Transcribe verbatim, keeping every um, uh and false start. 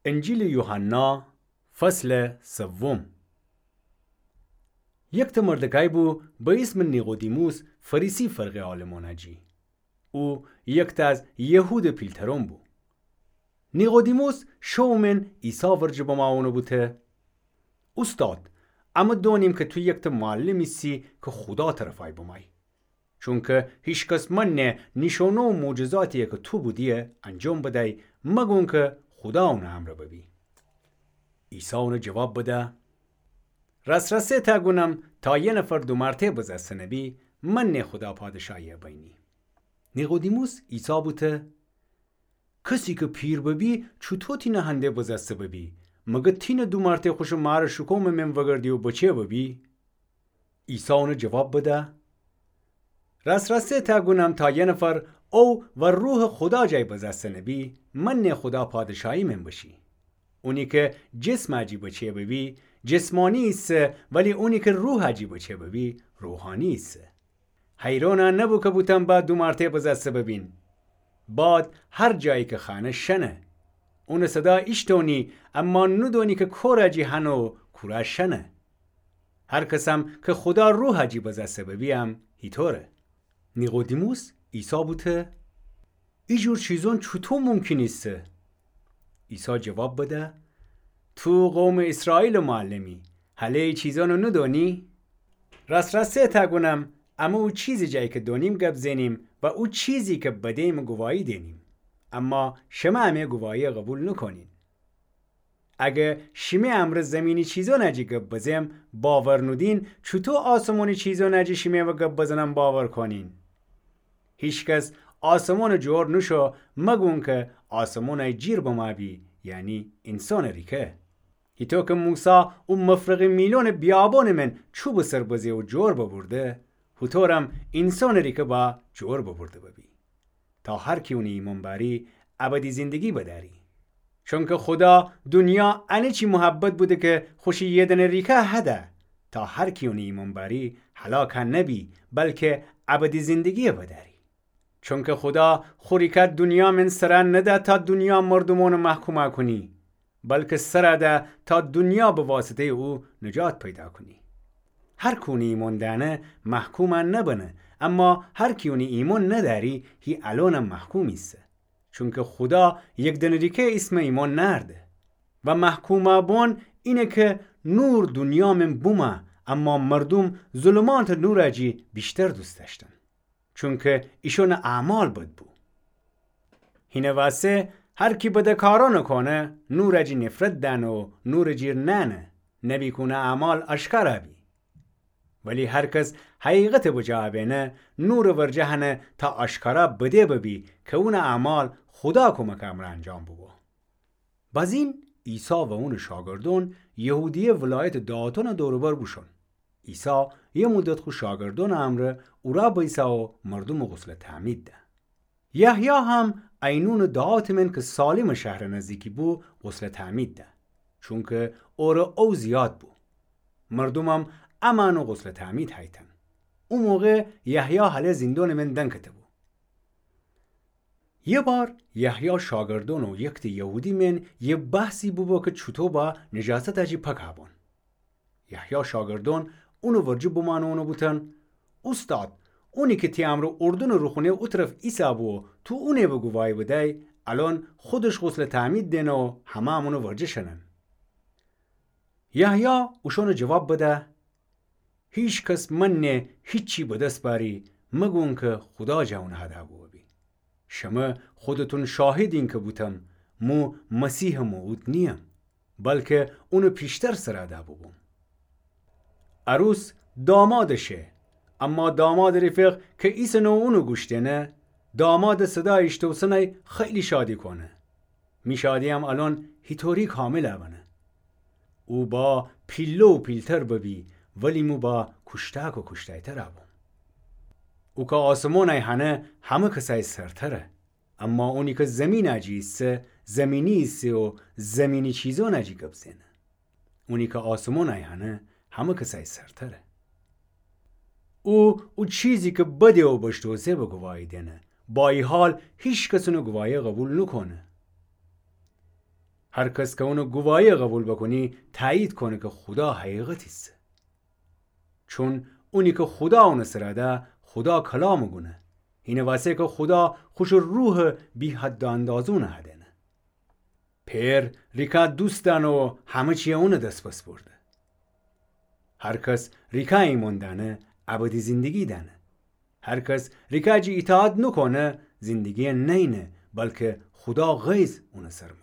انجیلٚ یوحنا، فصلٚ سوم. یکتأ مردکأی بو به ایسمٚ نیقودیموس، فریسی فرقه عالمأنٚ جی. او یکتأ از یهودٚ پیلترون بو. نیقودیموس شو مئن عیسی ورجه بمأ اونٚ بوته: اوستاد، امه دؤنیم که تو یکتأ معلم ایسی که خودا طرفأی بمأی. چونکه هیکس منه نیشونه و معجزاتی که تو بودیی انجام بدأی، مگونکه خودا اونٚ امرأ ببی. عیسی اون جواب بده: راس‌راسی تأ گونم، تا یه نفر دومارته بزسته نبی، منه خودا پادشاهیی بینی. نیقودیموس عیسی بوته: کسی که پیر ببی، چوطو تینه هنده بزسته ببی؟ مگه تینه دومارته خوشٚ مارٚ شکومٚ مئن وگردی و بچه ببی؟ عیسی اون جواب بده: راس‌راسی تأ گونم، تا یه نفر او و روحٚ خودا جای بزسته نبی، منه خودا پادشاهی مئن بشی. اونی که جسمٚ جی بچه ببی، جسمانی ایسه، ولی اونی که روحٚ جی بچه ببی، روحانی ایسه. حیرأن نبو که بوتم با دومارته بزسته ببین. باد هر جایی که خوأنه شنه. اونٚ صدا ایشتونی، اما ندونی که کورٚ جی هنه و کورا شنه. هر کسم که خودا روحٚ جی بزسته ببی هم هیطوره. نیقودیموس عیسی بوته: ای جور چیزون چوطو ممکن ایسه؟ عیسی جواب بده: تو قومٚ ایسرائیلٚ معلمی، هله ای چیزون ندونی؟ راس‌راسی تأ گونم، امه او چیزٚ جای که دونیم گب زنیم و او چیزی که بدیمٚ گواهی دینیم. اما شمه امه گواهیی قوبیل نوکونین. اگه شیمه امرأ زمینی چیزونٚ جی گب بزم باور نودین، چوطو آسمونی چیزونٚ جی شیمه و گب بزنم باور کونین؟ هیکس آسمونٚ جور نوشو مگونکه آسمونٚ جیر بمأ بی، یعنی اینسانٚ ریکه. هیطو که موسی او مفرقٚ میلونٚ بیابونٚ مئن چوبٚ سر بزه و جور ببرده، هوطورم اینسانٚ ریکه با جور ببرده ببی. تا هر کی اونٚ ایمأن بأری، ابدی زندگی بدأری. چونکه خودا دونیا انه چی محبت بوده که خوشی یه دأنه ریکه هده، تا هر کی اونٚ ایمأن بأری هلاک نبی، بلکه ابدی زندگی بدأری. چونکه خودا خو ریکه دونیا مئن سر نده تا دونیا مردومأن محکوم کونی، بلکه سر ده تا دونیا به واسطه‌یٚ او نجات پیدا کونی. هر کی اونٚ ایمأن دأنه محکوم نبنه، اما هر کی اونٚ ایمأن ندأری، هی الأنم محکوم ایسه. چونکه خودا یک دنریکه ایسمٚ ایمأن نأرده. و محکوم بون اینه که نور دونیا مئن بومه، اما مردوم ظلمأتٚ نورٚ جی ویشتر دوست دأشتن. چونکه ایشونٚ اعمال بد بو. هینٚ واسه هر کی بدٚ کارأن کونه، نورٚ جی نفرت دأنه و نورٚ جیر نأنه، نبی که اونٚ اعمال آشکارا بی. ولی هر کس حقیقتٚ بجا بینه، نورٚ ورجه هنه تا آشکارا بده ببی که اونٚ اعمال خودا کمکٚ امرأ انجام ببو. بازین عیسی و اونٚ شاگردأن یهودیه ولایتٚ دهاتأنٚ دور و بر بوشون. عیسی یه مدت خو شاگردأنٚ امرأ اورا بیسه و مردومٚ غسلٚ تعمید ده. یحیی هم عینونٚ دهاتٚ مئن که سالیمٚ شهرٚ نزدیکی بو، غسلٚ تعمید ده، چونکه اورٚ او زیاد بو. مردومم امأنٚ غسلٚ تعمید هیتن. او موقع یحیی هله زیندونٚ مئن دنکته بو. یه بار یحیی شاگردأن و یکته یهودی مئن یه بحثی بوبو که چوطو با نجاستٚ جی پاک بون. یحیی شاگردأن اونٚ ورجه بمأنه اونٚ بوتن: اوستاد، اونی که تی امرأ اردنٚ روخونه او طرف ایسه بو، تو اونه به گواهی بدی، الأن خودش غسلٚ تعمید دینه و همه‌م اونٚ ورجه شنن. یحیی اوشأنٚ جواب بده: هیکس منه هیچی به دس بأری، مگونکه خودا جا اونٚ هدا بوبی. شمه خودتون شاهدین که بوتم، مو مسیحٚ موعود نییم، بلکه اونٚ پیشتر سر ده بوبوم. عروس دامادٚ شه، اما دامادٚ رفیق که ایسن و اونٚ گوش دینه، دامادٚ صدا ایشتوسنی خیلی شادی کونه. می شادییم الأن هیطوری کامل بنه. او با پیله و پیلتر ببی، ولی مو با کوشتأک و کوشتأیتر بوم. او که آسمونی هنه، همه کسای سرتره. اما اونی که زمینٚ جی ایسه، زمینی ایسه و زمینی چیزأنٚ جی گب زنه. اونی که آسمونی هنه، همه کسای سرتره. او، او چیزی که بده و بشتوسه به گواهی دینه. با ای حال هیکس اونٚ گواهی قوبیل نوکونه. هر کس کی اونٚ گواهیَ قوبیل بکونه، تأیید کونه کی خودا حقیقت ایسه. چون اونی کی خودا اونٚ سر ده، خودا کلامٚ گونه. اینٚ وأسه کی خودا خوشٚ روحَ بی‌حد و اندازه اونٚ هدینه. پئر ریکا دوست دأنه و همه چیَ اونٚ دس بسپرده. هر کس ریکا ایمأن دأنه، ابدی زندگی دأنه. هر کس ریکا جی ایطاعت نوکونه، زندگیَ نئینه، بلکی خودا غیظ اونٚ سر